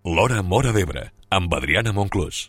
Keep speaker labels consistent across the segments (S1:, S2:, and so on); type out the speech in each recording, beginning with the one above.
S1: L'Hora Móra d'Ebre, amb Adriana Monclús.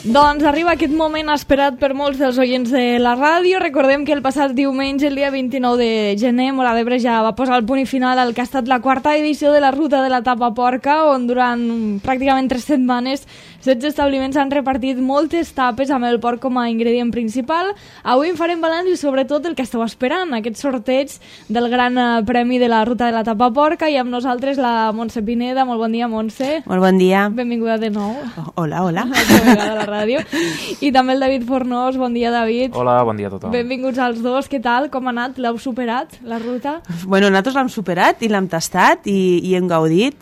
S2: Doncs arriba aquest moment esperat per molts dels oients de la ràdio. Recordem que el passat diumenge, el dia 29 de gener, Móra d'Ebre ja va posar el punt i final al que ha estat la quarta edició de la Ruta de la Tapa Porca, on durant pràcticament 3 setmanes 16 establiments han repartit moltes tapes amb el porc com a ingredient principal. Avui en farem balanç i sobretot el que esteu esperant, aquest sorteig del gran premi de la Ruta de la Tapa Porca, i amb nosaltres la Montse Pineda. Molt bon dia, Montse.
S3: Molt bon dia.
S2: Benvinguda de nou.
S3: Hola, hola.
S2: A la ràdio. I també el David Fornós. Bon dia, David.
S4: Hola, bon dia a tothom.
S2: Benvinguts als dos. Què tal? Com ha anat? L'heu superat, la ruta?
S3: Bueno, nosaltres l'hem superat i l'hem tastat i hem gaudit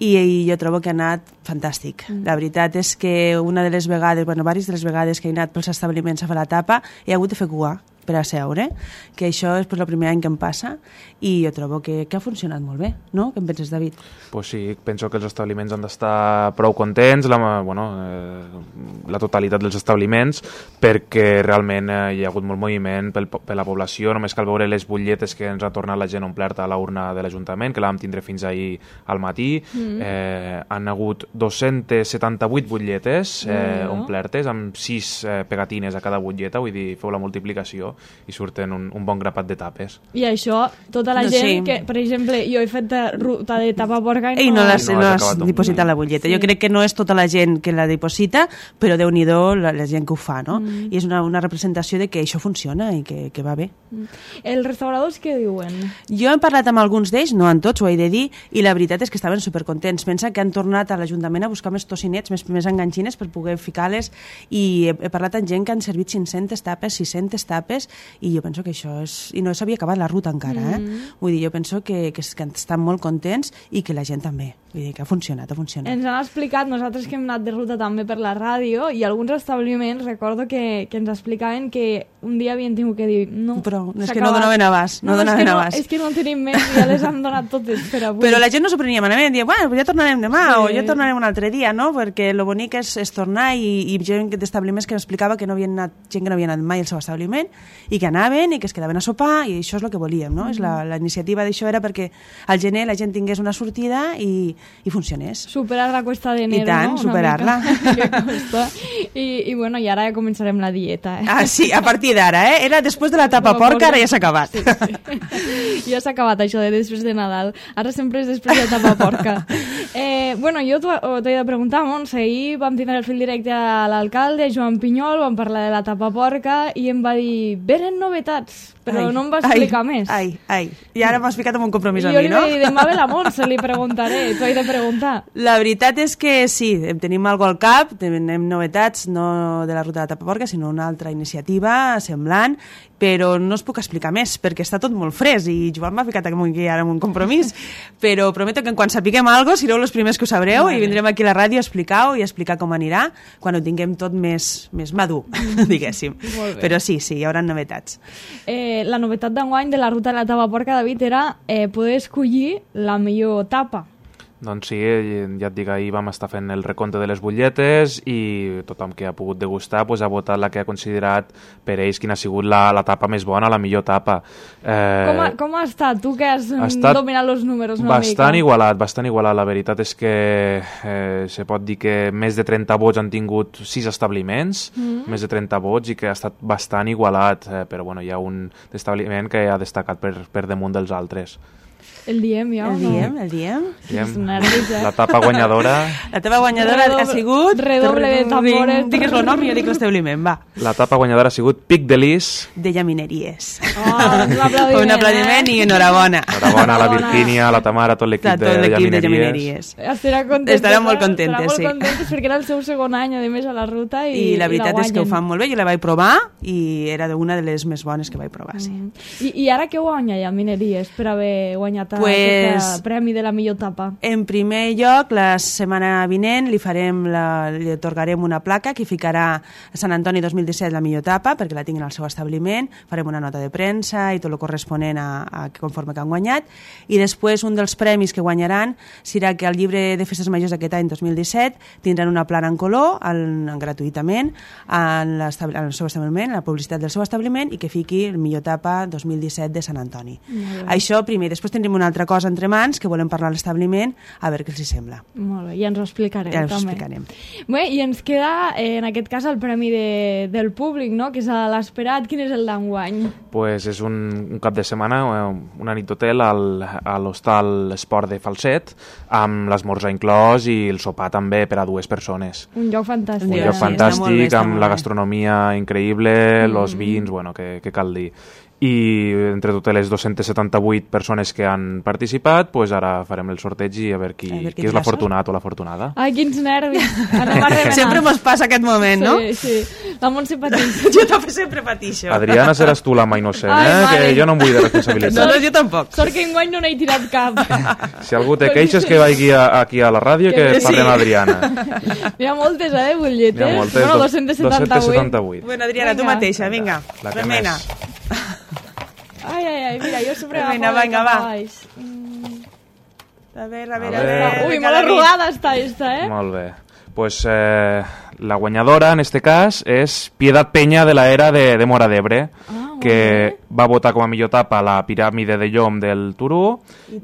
S3: i jo trobo que ha anat fantàstic. La veritat és que una de les vegades, diverses de les vegades que he anat pels establiments a fer la tapa he hagut de fer cua per a seure, que això és el primer any que em passa i jo trobo que ha funcionat molt bé, no? Què en penses, David?
S4: Pues sí, penso que els establiments han d'estar prou contents, la totalitat dels establiments, perquè realment hi ha hagut molt moviment per la població. Només cal veure les butlletes que ens ha tornat la gent omplerta a la urna de l'Ajuntament, que la vam tindre fins ahir al matí. Han hagut 278 butlletes omplertes, amb 6 pegatines a cada butlleta, vull dir, feu la multiplicació i surten un bon grapat de tapes.
S2: I això, tota la gent que, per exemple, jo he fet ruta de tapa porca
S3: i no l'has dipositat la butlleta. Jo crec que no és tota la gent que la diposita, però Déu-n'hi-do la gent que ho fa, no? I és una representació de que això funciona i que va bé.
S2: Els restauradors què diuen?
S3: Jo he parlat amb alguns d'ells, no amb tots, ho he de dir, i la veritat és que estaven supercontents. Pensa que han tornat a l'Ajuntament a buscar més tocinets, més enganxines per poder ficar-les, i he parlat amb gent que han servit 500 tapes, 600 tapes, i jo penso que això és... I no s'havia acabat la ruta encara, Vull dir, jo penso que estan molt contents i que la gent també. Vull dir, que ha funcionat.
S2: Ens han explicat, nosaltres que hem anat de ruta també per la ràdio, i alguns establiments, recordo que ens explicaven que un dia havien tingut que dir... No,
S3: però és que no donaven abast.
S2: És que no tenim més, ja les han donat totes per avui.
S3: Però la gent no s'ho prenia malament, diuen, bueno, ja tornarem demà, o ja tornarem un altre dia, no? Perquè lo bonic és tornar, i gent d'establiments que m'explicava que no havien anat, gent que no havia anat mai al seu establiment, i que anaven i que es quedaven a sopar, i això és el que volíem, no? La iniciativa d'això era perquè al gener la gent tingués una sortida i funcionés.
S2: Superar la cuesta d'enero,
S3: no? I tant, superar-la.
S2: I bueno, i ara ja començarem la dieta.
S3: Ah, sí, a partir d'ara, Era després de la tapa porca, ara ja s'ha acabat.
S2: Sí. Ja s'ha acabat això de després de Nadal. Ara sempre és després de la tapa porca. Bueno, jo t'he de preguntar, Montse, ahir vam tindre el fil directe a l'alcalde, Joan Pinyol, vam parlar de la tapa porca i em va dir, venen novetats, però no em va explicar més.
S3: I ara m'has ficat en un compromís a mi, no?
S2: Jo li vaig dir, demà ve la Montse, li preguntaré, t'ho he de preguntar.
S3: La veritat és que sí, tenim algo al cap, tenim novetats, no de la ruta de la tapa porca, sinó una altra iniciativa semblant, però no us puc explicar més, perquè està tot molt fresc, i Joan m'ha ficat aquí ara en un compromís, però prometo que quan sapiguem alguna cosa, sereu els primers que ho sabreu, i vindrem aquí a la ràdio a explicar-ho i a explicar com anirà, quan ho tinguem tot més madur, diguéssim. Però sí, hi haurà novetats.
S2: La novetat d'enguany de la ruta de la tapa porca, David, era poder escollir la millor tapa.
S4: Doncs sí, ja et dic, ahir vam estar fent el recompte de les butlletes i tothom que ha pogut degustar ha votat la que ha considerat per ells quina ha sigut la tapa més bona, la millor tapa.
S2: Com ha estat? Tu que has dominat els números una
S4: mica. Bastant igualat. La veritat és que se pot dir que més de 30 vots han tingut 6 establiments, més de 30 vots, i que ha estat bastant igualat, però bueno, hi ha un establiment que ha destacat per damunt dels altres.
S2: El diem ja o no?
S3: El diem.
S4: La tapa guanyadora...
S3: La tapa guanyadora ha sigut...
S2: Redoble de tambores.
S3: Digues el nom i jo dic l'establiment, va.
S4: La tapa guanyadora ha sigut Pic de Lis.
S3: De Llamineries.
S2: Un
S3: aplaudiment i enhorabona.
S4: Enhorabona a la Virgínia, a la Tamara, a tot l'equip de Llamineries.
S3: Estaran molt contentes, sí.
S2: Estaran molt contentes perquè era el seu segon any, a més, a la ruta, i
S3: la veritat és que ho fan molt bé. Jo la vaig provar i era una de les més bones que vaig provar, sí.
S2: I ara què guanya Llamineries per haver guanyat aquest premi de la millor tapa?
S3: En primer lloc, la setmana vinent li atorgarem una placa que ficarà a Sant Antoni 2017 la millor tapa, perquè la tinguin al seu establiment, farem una nota de premsa i tot el corresponent a conforme que han guanyat, i després un dels premis que guanyaran serà que al llibre de festes majors d'aquest any 2017 tindran una plana en color gratuïtament al seu establiment, la publicitat del seu establiment, i que fiqui el millor tapa 2017 de Sant Antoni. Això primer. Després tindrem una altra cosa entre mans que volem parlar a l'establiment, a veure què els hi sembla.
S2: Molt bé, ja ens ho explicarem.
S3: Ja ens ho explicarem.
S2: Bé, i ens queda, en aquest cas, el premi del públic, no?, que és l'esperat. Quin és el d'enguany?
S4: Pues és un cap de setmana, una nit d'hotel a l'hostal Esport de Falset, amb l'esmorzar inclòs i el sopar també per a 2 persones.
S2: Un lloc fantàstic.
S4: Un lloc fantàstic, amb la gastronomia increïble, els vins, bueno, què cal dir. I entre totes les 278 persones que han participat, pues ara farem el sorteig i a veure qui és l'afortunat o l'afortunada.
S2: Ai, quins nervis!
S3: Sempre mos passa aquest moment, no?
S2: Sí. La Montse pateix.
S3: Jo també sempre patixo.
S4: Adriana, seràs tu la mà innocent, que jo no em vull de responsabilitat.
S3: No, jo tampoc.
S2: Sort que enguany no n'he tirat cap.
S4: Si algú té queixes, que vagi aquí a la ràdio que parlem a Adriana.
S2: N'hi ha moltes, butlletes?
S4: N'hi ha moltes,
S2: bueno, 278.
S3: Bueno, Adriana, tu mateixa, vinga, remena.
S2: Ai, mira, jo sempre
S3: agafo
S2: vinga,
S3: va. A veure.
S2: Ui, molt arrugada està esta,
S4: Molt bé. Pues la guanyadora, en este cas, és Piedad Peña de la Era de Móra d'Ebre, que va votar com a millor tapa la piràmide de Llom del Turó,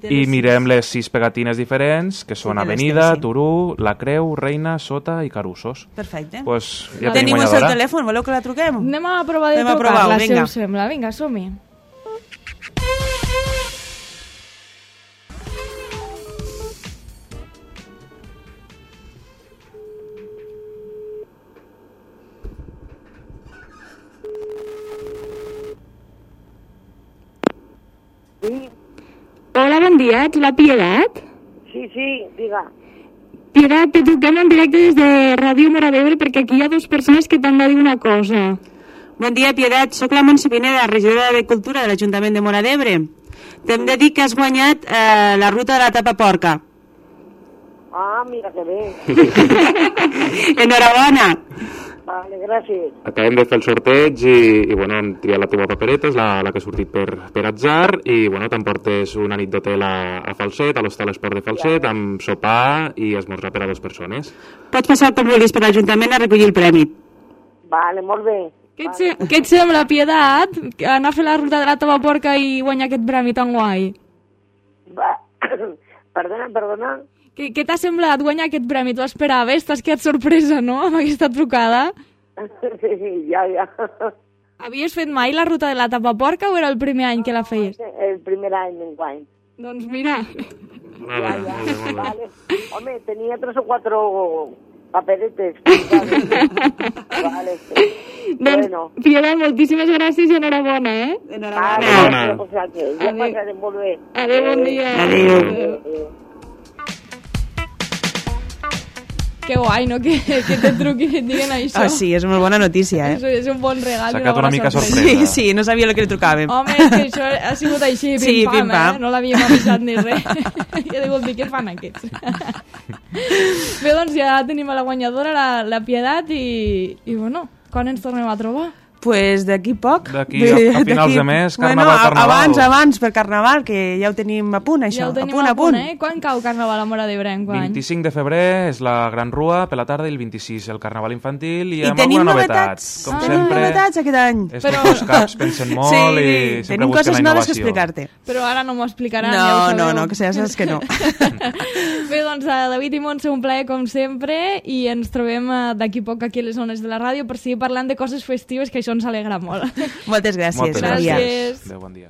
S4: i mirem les 6 pegatines diferents, que són Avenida, Turó, La Creu, Reina, Sota i Carussos.
S3: Perfecte.
S4: Pues ja
S3: tenim el seu telèfon, voleu que la truquem?
S2: Anem a provar de trucar-la, si us sembla. Vinga, som-hi.
S5: Sí.
S6: Hola, bon dia, ets la Piedat?
S5: Sí, diga.
S6: Piedat, te truquem en directe des de Ràdio Móra d'Ebre perquè aquí hi ha 2 persones que t'han de dir una cosa.
S3: Bon dia, Piedat, soc la Montse Pineda, regidora de Cultura de l'Ajuntament de Móra d'Ebre. T'hem de dir que has guanyat la ruta de la tapa porca.
S5: Ah, mira que bé.
S3: Enhorabona.
S5: Vale, gràcies.
S4: Acabem de fer el sorteig i bueno, hem triat la teva papereta, és la que ha sortit per atzar, i bueno, t'emportes una nit d'hotel a Falset, a l'hostal Esport de Falset, amb sopar i esmorzar per a 2 persones.
S3: Pots passar com vulguis per l'Ajuntament a recollir el premi.
S5: Vale, molt bé.
S2: Què et sembla, Piedat, anar a fer la ruta de la teva porca i guanyar aquest premi tan guai?
S5: Perdona.
S2: Què t'ha semblat guanyar aquest premi? Tu esperaves? T'has quedat sorpresa, no?, amb aquesta trucada?
S5: Sí, ja.
S2: Havies fet mai la ruta de la tapa porca o era el primer any que la feies?
S5: El primer any d'enguany.
S2: Doncs mira.
S5: Vale. Home, tenia 3 o 4 paperetes. Vale.
S6: Doncs, Piedat, moltíssimes gràcies i enhorabona,
S5: Enhorabona. Ja passarem molt bé.
S6: Adéu, bon dia.
S3: Adéu.
S2: Que guai, no?, que te truquin i et diguen això.
S3: Ah, sí, és una bona notícia,
S2: És un bon regal.
S4: S'ha quedat una mica sorpresa.
S3: Sí, no sabia el que li trucàvem.
S2: Home, és que això ha sigut així, pim-pam, no l'havíem avisat ni res. Ja degut dir, què fan aquests? Bé, doncs ja tenim a la guanyadora, la Piedat, i bueno, quan ens tornem a trobar?
S3: Pues d'aquí poc.
S4: D'aquí a finals de mes, Carnaval.
S3: Abans per Carnaval, que ja ho tenim a punt, això.
S2: Ja ho tenim a punt. Quan cau Carnaval a Móra d'Ebre?
S4: 25 de febrer és la Gran Rua per la tarda i el 26 el Carnaval infantil i amb
S3: tenim
S4: alguna novetat. Com sempre,
S3: tenim novetats aquest any.
S4: Els caps pensen molt i sempre busquen la innovació.
S3: Tenim coses noves que explicar-te.
S2: Però ara no m'ho explicaran.
S3: No, que saps que no.
S2: Bé, doncs, David i Montse, un plaer com sempre, i ens trobem d'aquí poc aquí a les zones de la ràdio per seguir parlant de coses festives, que això ens alegra molt.
S3: Moltes gràcies.
S2: Gràcies.
S4: Adéu, bon dia.